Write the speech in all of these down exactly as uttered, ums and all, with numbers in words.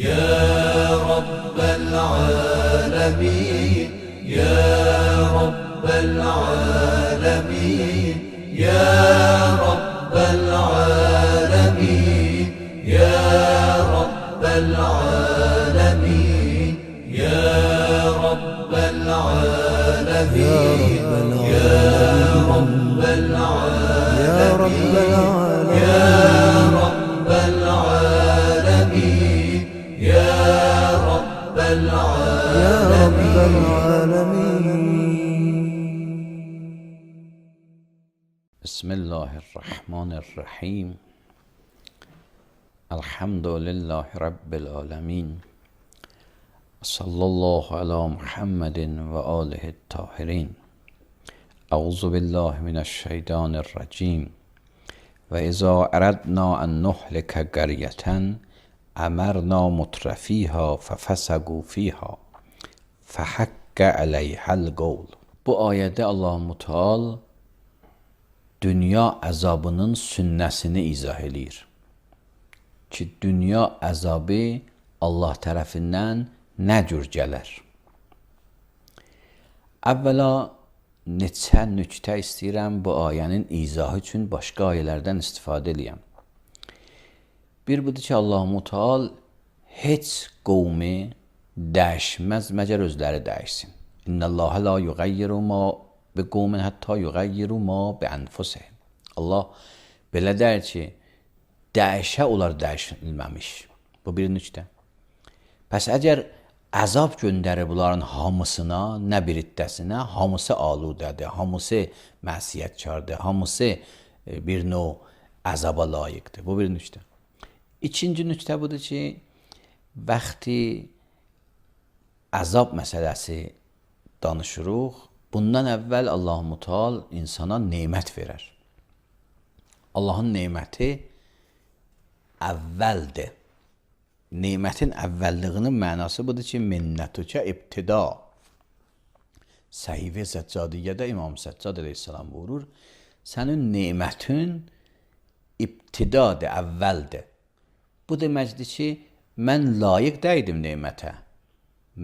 يا رب العالمين يا رب العالمين يا رب العالمين يا رب العالمين يا رب العالمين يا رب العالمين يا رب العالمين يا رب العالمين. بسم الله الرحمن الرحيم. الحمد لله رب العالمين. صلى الله على محمد وآله الطاهرين. أعوذ بالله من الشيطان الرجيم. وإذا أردنا أن نهلك قرية أمرنا مترفیها ففسقوا فيها فحق عليها القول. Bu ayədə Allah Müteal dünya əzabının sünnəsini izah eləyir. Ki, dünya əzabı Allah tərəfindən nə cür gələr? Əvvəla neçə nüktə istəyirəm bu ayənin izahı üçün başqa ayələrdən istifadə eləyəm. Bir budur ki, Allah Müteal heç qovmi dəyişməz məgər özləri dəyişsin. İnnəllâhe la yuğayyiru ma bi qovmin hətta yuğayyiru ma bi ənfusihim. Allah belə deyir ki, dəyişə onlar dəyişilməmiş. Bu bir nüktə. Pəs əgər əzab göndərir bunların hamısına, nə bir iddəsinə, hamısı aludədir, hamısı məsiyətkardır, hamısı bir növ əzaba layiqdir. Bu bir nüktə. İkinci nüktə budur ki, vaxtı əzab məsələsi danışırıq, bundan əvvəl Allah Müteal insana nemət verər. Allahın neməti əvvəldir. Nemətin əvvəlliyinin mənası budur ki, minnətükə ibtida. Səhifə Səccadiyyədə İmam Səccad əleyhissalam buyurur, sənin nemətin ibtidadır, əvvəldir. Bu deməkdir ki, mən layiq dəydim nemətə.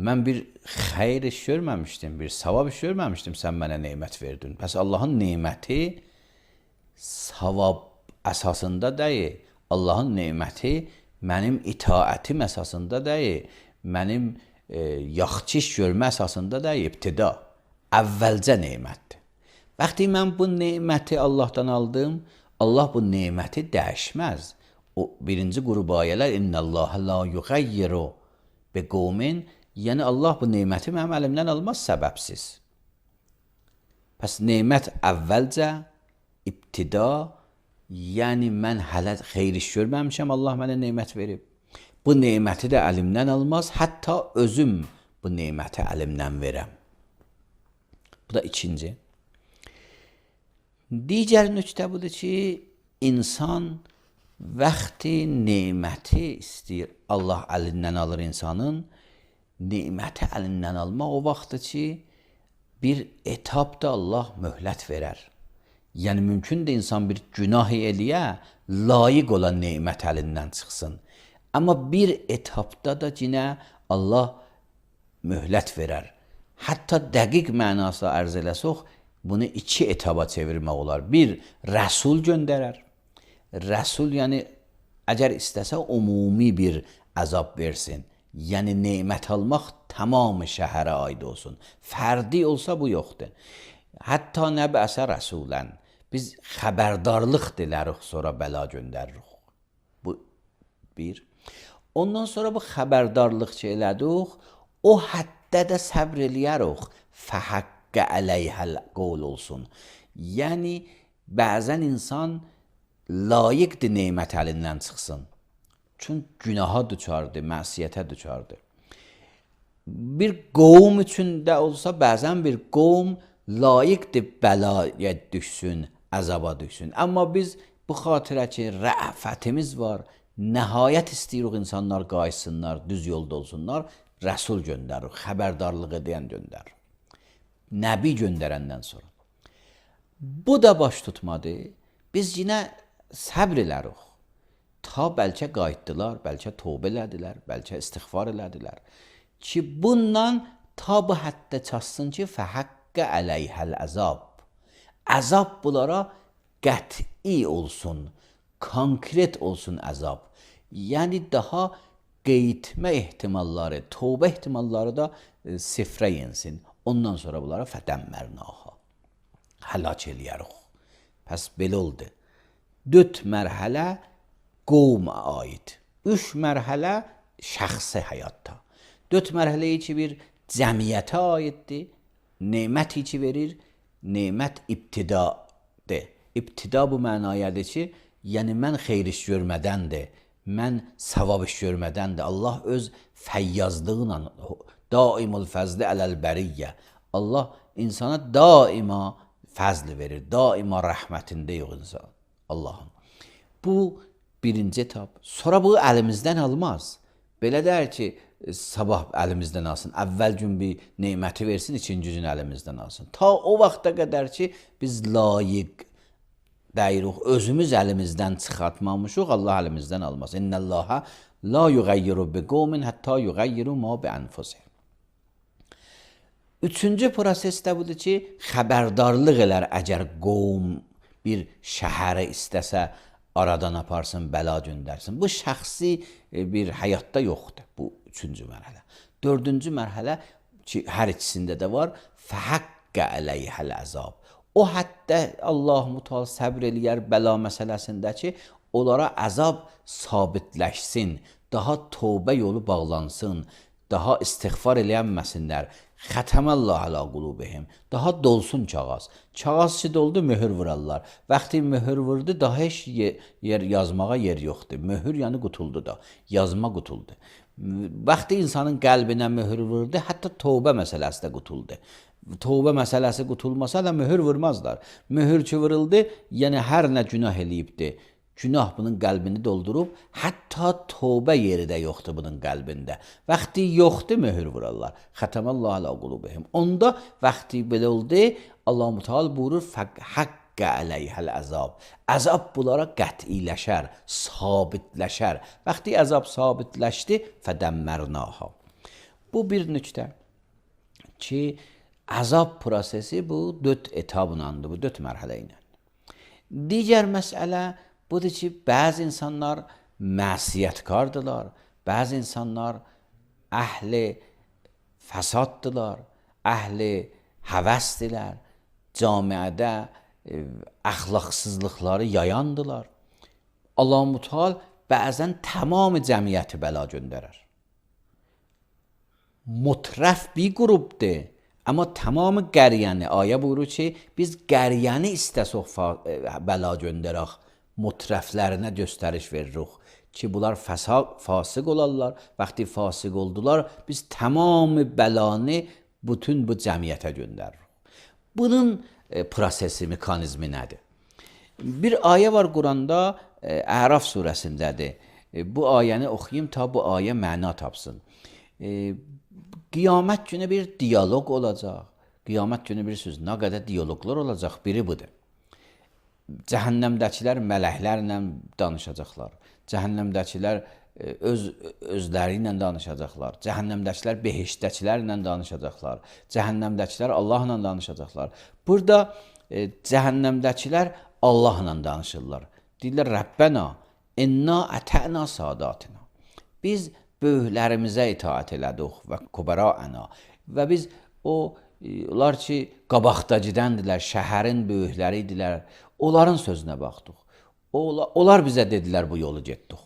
Mən bir xeyr iş görməmişdim, bir savab iş görməmişdim, sən mənə nemət verdin. Pəs Allahın neməti savab əsasında deyil. Allahın neməti mənim itaətim əsasında deyil. Mənim e, yaxşı iş görmə əsasında deyil, ibtida. Əvvəlcə nemətdir. Vaxtı mən bu neməti Allahdan aldım, Allah bu neməti dəyişməz. O birinci qrup ayələr İnnəllâhe la yuğayyiru bi qovmin, yəni Allah bu neməti mənim əlimdən almaz səbəbsiz. Pəs nemət əvvəlcə, ibtida, yəni mən hələ xeyr iş görməmişəm, Allah mənə nemət verib. Bu neməti də əlimdən almaz, hətta özüm bu neməti əlimdən verəm. Bu da ikinci. Digər nüktə budur ki, insan vaxtı neməti istəyir, Allah əlindən alır insanın, neməti əlindən almaq o vaxtdır ki, bir etapda Allah möhlət verər. Yəni, mümkündür insan bir günah eləyə, layiq olan nemət əlindən çıxsın. Amma bir etapda da yenə Allah möhlət verər. Hətta dəqiq mənasına ərz eləsək, bunu iki etaba çevirmək olar. Bir, rəsul göndərər. Rəsul, yəni, əgər istəsə umumi bir əzab versin. Yəni, nemət almaq tamamı şəhərə aid olsun. Fərdi olsa bu yoxdur. Hətta nəbəsə rəsulən. Biz xəbərdarlıq dilərik, sonra bəla göndəririk. Bu bir. Ondan sonra bu xəbərdarlıq ki elədik, o həddə də səbr eləyərik. Fəhəqqə əleyhəl qol olsun. Yəni, bəzən insan layiqdir nemət əlindən çıxsın. Çünki günaha düçardır, məsiyyətə düçardır. Bir qovm üçün də olsa, bəzən bir qovm layiqdir bəlaya düşsün, əzaba düşsün. Amma biz bu xatirə ki, rəfətimiz var, nəhayət istəyirik insanlar qaysınlar, düz yolda olsunlar, rəsul göndərir, xəbərdarlıq edən göndərir. Nəbi göndərəndən sonra. Bu da baş tutmadı. Biz yenə səbr elərik. ta bəlkə qayıtdılar, bəlkə tövbə elədilər, bəlkə istiğfar elədilər ki, bundan ta bu həddə çatsın ki, fəhəqqə əleyhəl əzab. Əzab bunlara qəti olsun, konkret olsun əzab. Yəni daha qeytmə ehtimalları, tövbə ehtimalları da e, sifrə yensin. Ondan sonra bunlara fədəmmərnaha. Həlak eləyərik. Pəs belə oldu. Dörd mərhələ qovma aid. Üç mərhələ şəxsi həyatda. Dörd mərhələyi ki, bir cəmiyyətə aiddir. Neməti ki verir, nemət ibtidadır. İbtida bu mənayədir ki, yəni mən xeyr iş görmədəndir, mən savab iş görmədəndir. Allah öz fəyyazlığıyla, daimul fəzli ələl bəriyyə. Allah insana daima fəzl verir, daima rəhmətində yox insan. Allah'ın. Bu birinci etap. Sonra bu əlimizdən almaz. Belə der ki, sabah əlimizdən alsın, əvvəl gün bir neməti versin, ikinci gün əlimizdən alsın. Ta o vaxta qədər ki, biz layiq deyirik, özümüz əlimizdən çıxartmamışıq, Allah əlimizdən almaz. İnnəllaha la yuğayyiru bi qavmin hətta yuğayyiru ma bi anfusihim. Üçüncü prosesdə budur ki, xəbərdarlıq elər əgər qovm bir şəhərə istəsə, aradan aparsın, bəla göndərsin. Bu şəxsi bir həyatda yoxdur, bu üçüncü mərhələ. Dördüncü mərhələ ki, hər ikisində də var, fəhəqqə əleyhəl əzab. O hətta Allah-u Teala səbr eləyər bəla məsələsində ki, onlara əzab sabitləşsin, daha tövbə yolu bağlansın, daha istiğfar eləyənməsinlər. Xətəməllah alə qulubihim. Daha dolsun kağız. Kağız ki doldu, möhür vurarlar. Vaxtı möhür vurdu, daha heç yer yazmağa yer yoxdur. Möhür yəni qutuldu da, yazma qutuldu. Vaxtı insanın qəlbinə möhür vurdu, hətta tövbə məsələsi də qutuldu. Tövbə məsələsi qutulmasa da möhür vurmazlar. Möhür ki vuruldu, yəni hər nə günah eləyibdi. Günah bunun qəlbini doldurub, hətta tövbə yeri də yoxdur bunun qəlbində. Vaxtı yoxdur, möhür vurarlar. Xətəməllah alə qulubihim. Onda vaxtı belə oldu, Allah-u Teala buyurur, fəqqə əleyhəl əzab. Əzab bunlara qətiləşər, sabitləşər. Vaxtı əzab sabitləşdi, fədəmmərnaha. Bu bir nüktə ki, əzab prosesi bu dörd etabınandır, bu dörd mərhələ ilə. Digər məsələ budur ki, bəzi insanlar məsiyyətkardırlar, bəzi insanlar əhli fəsaddılar, əhli həvəsdilər, camiədə e, əxlaqsızlıqları yayandılar. Allah-u Teala bəzən tamam cəmiyyəti bəla göndərər. Mutrəf bir qrupdur, amma tamamı qəryəni, ayə buyurur ki, biz qəryəni istəsək bəla göndərək, mutrəflərinə göstəriş veririk ki, bunlar fəsad, fasıq olarlar. Vaxtı fasıq oldular, biz tamamı bəlanı bütün bu cəmiyyətə göndəririk. Bunun e, prosesi, mekanizmi nədir? Bir ayə var Quranda, e, Əraf surəsindədir. E, bu ayəni oxuyayım ta bu ayə məna tapsın. E, qiyamət günü bir diyaloq olacaq. Qiyamət günü bir söz, nə qədər diyaloqlar olacaq, biri budur. Cəhənnəmdəkilər mələklərlə danışacaqlar. Cəhənnəmdəkilər öz özləri ilə danışacaqlar. Cəhənnəmdəkilər behiştdəkilərlə danışacaqlar. Cəhənnəmdəkilər Allahla danışacaqlar. Burada e, cəhənnəmdəkilər Allahla danışırlar. Deyirlər, Rəbbənə, inna ətə'na sadatina. Biz böyüklərimizə itaat elədik və kubərə'na. Və biz o, onlar ki, qabaqdakıdəndirlər, şəhərin böyükləri idilər. Onların sözünə baxdıq. Onlar bizə dedilər, bu yolu getdik.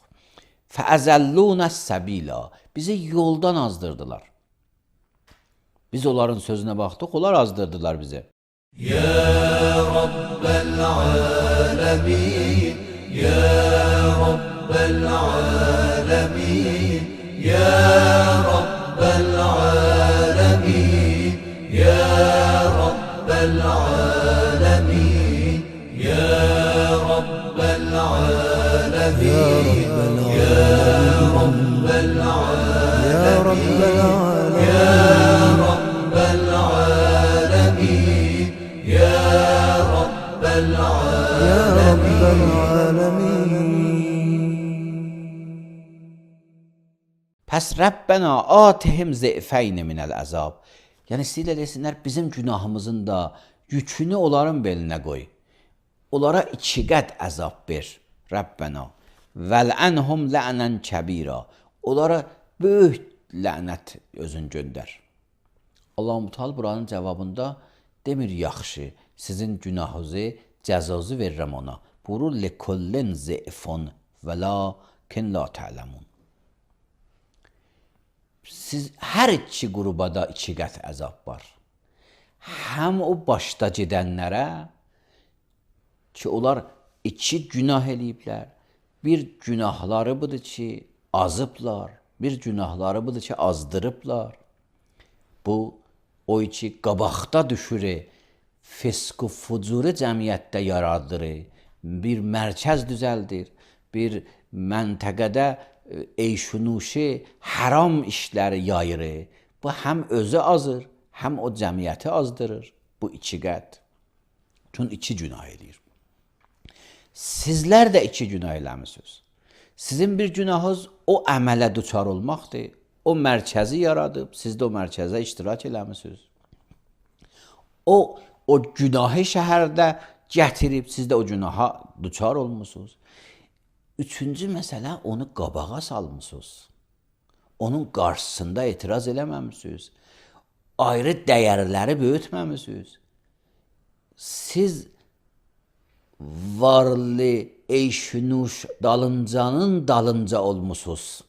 Fəəzəllunəs səbila. Bizi yoldan azdırdılar. Biz onların sözünə baxdıq, onlar azdırdılar bizi. Ya Rabbəl aləmin, Ya Rabbəl aləmin, Ya Rabbəl aləmin, Ya Rabbəl aləmin. يا رب العالمين يا رب العالمين يا رب العالمين يا رب العالمين يا رب العالمين Pəs Rəbbənə atihim zeyfəyni minəl əzab. Yəni istəyirlər desinlər, bizim günahımızın da yükünü onların belinə qoy. Onlara iki qət əzab ver, Rəbbənə. Vələnhum lə'nən kəbira. Onlara böyük lənət özün göndər. Allah-u Teala buranın cavabında demir yaxşı, sizin günahınızı, cəzanızı verirəm ona. Buyurur likullin zeyfun və lakin la ta'lemun. Siz hər iki qrubada iki qət əzab var. Həm o başda gedənlərə ki, onlar iki günah eləyiblər. Bir günahları budur ki, azıblar. Bir günahları budur ki, azdırıblar. Bu, o iki qabaqda düşür, fisq-u fucuru cəmiyyətdə yaradır, bir mərkəz düzəldir, bir məntəqədə eyşunuşi, haram işləri yayır. Bu, həm özü azır, həm o cəmiyyəti azdırır. Bu iki qət. Çünki iki günah edir. Sizlər də iki günah eləmişsiniz. Sizin bir günahınız o əmələ düçar olmaqdır. O mərkəzi yaradıb, siz də o mərkəzə iştirak eləmişsiniz. O, o günahı şəhərdə gətirib, siz də o günaha düçar olmuşsunuz. Üçüncü məsələ, onu qabağa salmışsınız. Onun qarşısında etiraz eləməmişsiniz. Ayrı dəyərləri böyütməmişsiniz. Siz varlı, eyşünuş, dalıncanın dalınca olmuşsunuz.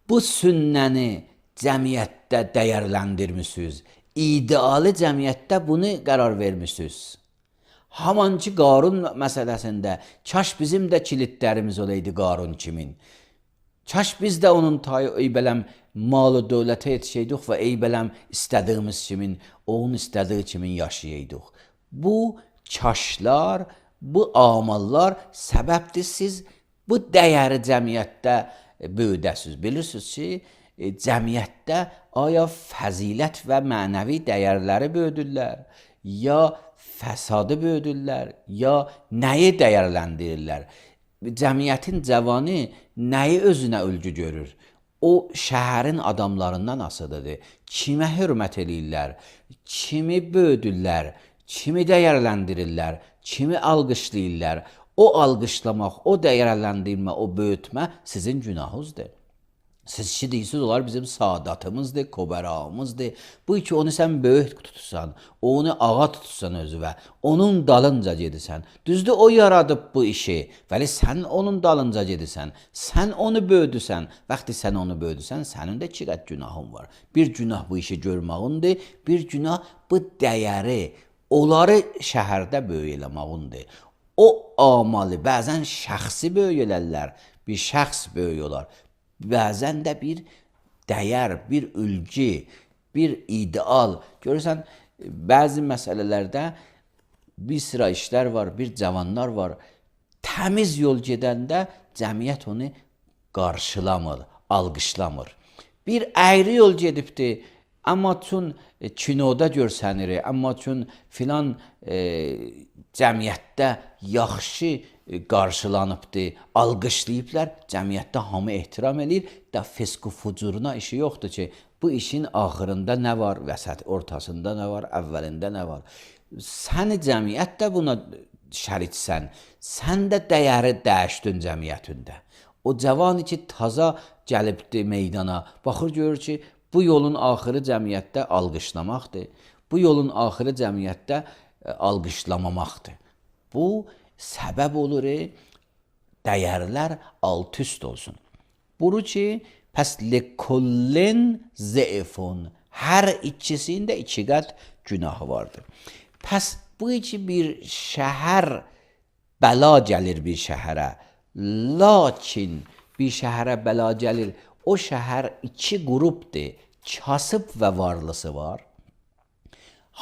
Bu sünnəni cəmiyyətdə dəyərləndirmişsiniz. İdeali cəmiyyətdə bunu qərar vermişsiniz. Haman ki, Qarun məsələsində, kaş bizim də kilitlərimiz olaydı Qarun kimin. Kaş biz də onun tayı eybələm malı dövlətə yetişəydik və eybələm istədiyimiz kimin, onun istədiyi kimin yaşayaydıq. Bu kaşlar, bu amallar səbəbdir siz bu dəyəri cəmiyyətdə böyüdəsiniz. Bilirsiniz ki, cəmiyyətdə aya fəzilət və mənəvi dəyərləri böyüdürlər, ya fəsadı böyüdürlər, ya nəyi dəyərləndirirlər. Cəmiyyətin cavanı nəyi özünə ölgü görür? O şəhərin adamlarından asılıdır. Kimə hörmət eləyirlər, kimi böyüdürlər, kimi dəyərləndirirlər, kimi alqışlayırlar. O alqışlamaq, o dəyərləndirmə, o böyütmə sizin günahınızdır. Siz ki deyirsiniz, onlar bizim saadatımızdır, kobəramızdır. Bu ki, onu sən böyük tutsan, onu ağa tutsan özüvə, onun dalınca gedirsən. Düzdür, o yaradıb bu işi, vəli sən onun dalınca gedirsən, sən onu böyüdürsən. Vaxtı sən onu böyüdürsən, sənin də iki qət günahın var. Bir günah bu işi görmağındır, bir günah bu dəyəri, onları şəhərdə böyük eləmağındır. O amalı, bəzən şəxsi böyük elərlər, bir şəxs böyük olar. Bəzən də bir dəyər, bir ülgü, bir ideal. Görürsən, bəzi məsələlərdə bir sıra işlər var, bir cavanlar var. Təmiz yol gedəndə cəmiyyət onu qarşılamır, alqışlamır. Bir əyri yol gedibdir, amma çün kinoda görsənir, amma çün filan e, cəmiyyətdə yaxşı qarşılanıbdır, alqışlayıblar, cəmiyyətdə hamı ehtiram edir, da fisq-u fucuruna işi yoxdur ki, bu işin axırında nə var, vəsət ortasında nə var, əvvəlində nə var. Sən cəmiyyət də buna şəriksən, sən də dəyəri dəyişdin cəmiyyətində. O cavan ki, taza gəlibdir meydana, baxır görür ki, bu yolun axırı cəmiyyətdə alqışlamaqdır, bu yolun axırı cəmiyyətdə alqışlamamaqdır. Bu, səbəb olur, dəyərlər alt-üst olsun. Buru ki, pəs likullin zeyfun, hər ikisində iki qət günahı vardır. Pəs bu ki, bir şəhər, bəla gəlir bir şəhərə, lakin bir şəhərə bəla gəlir, o şəhər iki qrupdur, kasıb və varlısı var.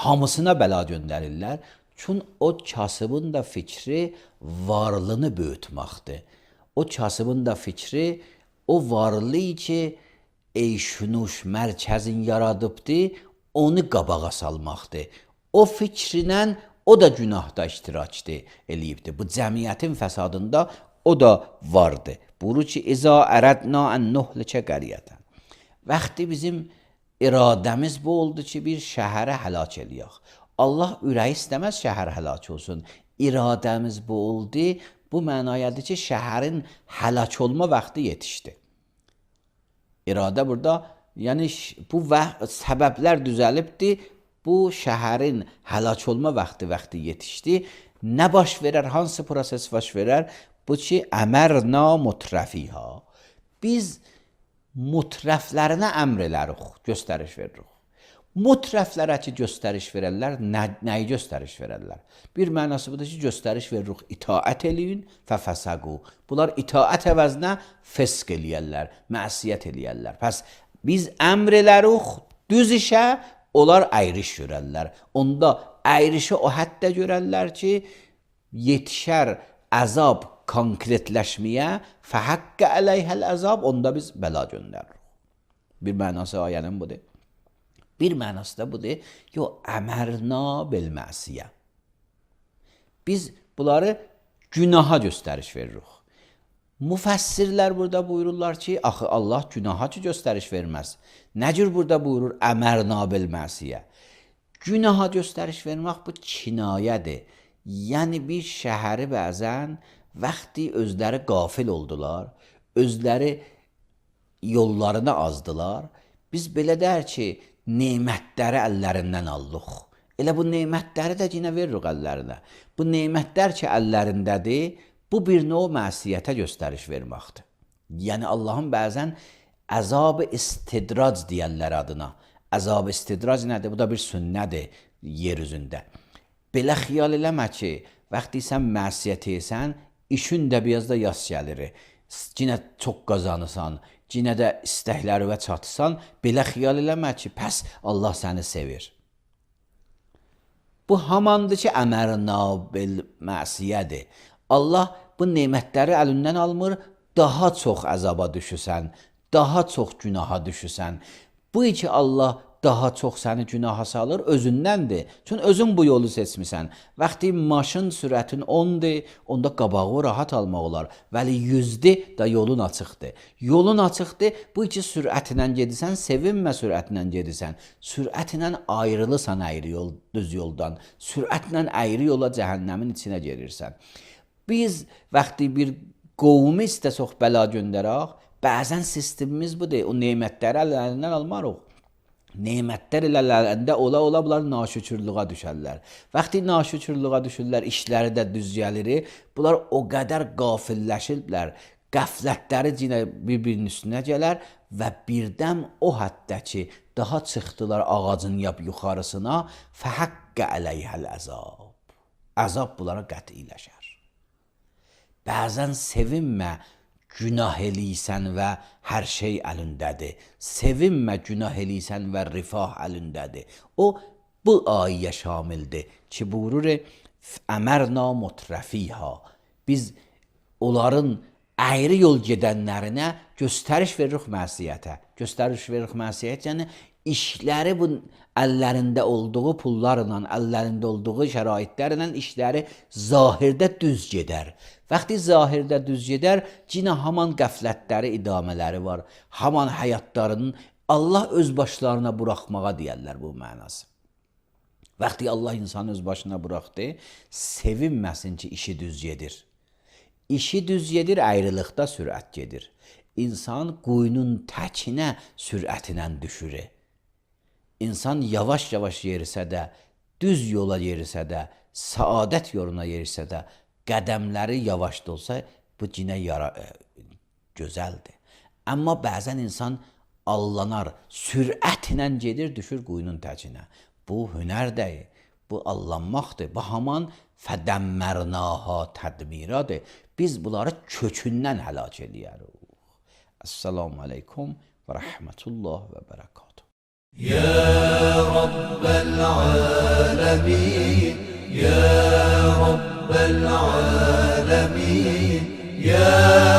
Hamısına bəla göndərirlər. Çünki o kasıbın da fikri varlığını böyütməkdir. O kasıbın da fikri o varlığı ki, eyşunuş mərkəzin yaradıbdır, onu qabağa salmaqdır. O fikrinlə o da günahda iştirakdır, eləyibdir. Bu cəmiyyətin fəsadında o da vardı. Buyurur ki İza əradna ən nuhlikə qəriyyətən. Vaxtı bizim iradəmiz bu oldu ki bir şəhərə həlak eləyək. Allah ürəyi istəməz şəhər həlak olsun. İradəmiz bu oldu. Bu mənayadır ki şəhərin həlak olma vaxtı yetişdi. İradə burada, yəni bu səbəblər düzəlibdi. Bu şəhərin həlak olma vaxtı vaxtı yetişdi. Nə baş verər, hansı proses baş verər? Bu ki, əmərna mutrəfiha. Biz mutrəflərinə əmr elərik, göstəriş veririk. Mutrəflərə ki, göstəriş verərlər, nə, nəyi göstəriş verərlər? Bir mənası budur ki, göstəriş veririk, itaət eləyin, fəfəsəqu. Bunlar itaət əvəzinə fəsq eləyərlər, məsiyyət eləyərlər. Pəs biz əmr elərik, düz işə, onlar əyriş görərlər. Onda əyrişi o həddə görərlər ki, yetişər əzab konkretləşməyə, fəhəqqə əleyhəl əzab, onda biz bəla göndəririk. Bir mənası ayənin budur. Bir mənası da budur, yo, əmərna bilməsiyə. Biz bunları günaha göstəriş veririk. Müfəssirlər burada buyururlar ki, axı Allah günaha ki göstəriş verməz. Nə cür burada buyurur əmərna bilməsiyə? Günaha göstəriş vermək bu kinayədir. Yəni bir şəhəri bəzən vaxtı özləri qafil oldular, özləri yollarını azdılar. Biz belə deyər ki, nemətləri əllərindən aldıq. Elə bu nemətləri də yenə veririk əllərinə. Bu nemətlər ki əllərindədir, bu bir növ məsiyyətə göstəriş verməkdir. Yəni Allahın bəzən əzab-ı istidrac deyərlər adına. Əzab-ı istidrac nədir? Bu da bir sünnədir yer üzündə. Belə xiyal eləmə ki, vaxtı sən məsiyyət etsən, işin də biraz da yas gəlir. Cinə çox qazanırsan, cinə də istəkləri və çatırsan, belə xiyal eləmə ki, pəs Allah səni sevir. Bu hamandır ki, əmərna bil məsiyyədir. Allah bu nemətləri əlindən almır, daha çox əzaba düşürsən, daha çox günaha düşürsən. Bu ki Allah daha çox səni günaha salır, özündəndir. Çünki özün bu yolu seçmisən. Vaxtı maşın sürətin ondur, onda qabağı rahat almaq olar. Vəli yüzdür da yolun açıqdır. Yolun açıqdır, bu ki sürətlə gedirsən, sevinmə sürətlə gedirsən. Sürətlə ayrılırsan əyri yol, düz yoldan. Sürətlə əyri yola cəhənnəmin içinə girirsən. Biz vaxtı bir qovmu istə çox bəla göndərək, bəzən sistemimiz budur, o nemətləri əllərindən almarıq. Nemətlər əllərində ola ola bunlar naşükürlüğə düşərlər. Vaxtı naşükürlüğə düşürlər, işləri də düz gəlir, bunlar o qədər qafilləşirlər, qəflətləri cinə bir-birinin üstünə gələr və birdən o həddə ki, daha çıxdılar ağacın yap yuxarısına, fəhəqqə əleyhəl əzab. Əzab bunlara qətiləşər. Bəzən sevinmə, günah eləysən və hər şey əlindədir. Sevinmə, günah eləysən və rifah əlindədir. O, bu ayəyə şamildir ki, buyurur, əmərna mutrəfiha. Biz onların əyri yol gedənlərinə göstəriş veririk məsiyyətə. Göstəriş veririk məsiyyət, yəni işləri bu əllərində olduğu pullarla, əllərində olduğu şəraitlərlə işləri zahirdə düz gedər. Vaxtı zahirdə düz gedər, cinə haman qəflətləri, idamələri var. Haman həyatlarının Allah öz başlarına buraxmağa deyərlər bu mənası. Vaxtı Allah insanı öz başına buraxdı, sevinməsin ki, işi düz gedir. İşi düz gedir, ayrılıqda sürət gedir. İnsan quyunun təkinə sürətinə düşür. İnsan yavaş-yavaş yerisə də, düz yola yerisə də, saadət yoluna yerisə də, qədəmləri yavaş da olsa, bu cinə yara, e, gözəldir. Amma bəzən insan allanar, sürətlə gedir, düşür quyunun təkinə. Bu hünər deyil, bu allanmaqdır. Bu haman fədəmmərnaha tədmiradır. Biz bunları kökündən həlak edərik. Esselamu aleykum və rəhmətullah və bərəkatuhu. يا رب العالمين يا رب العالمين يا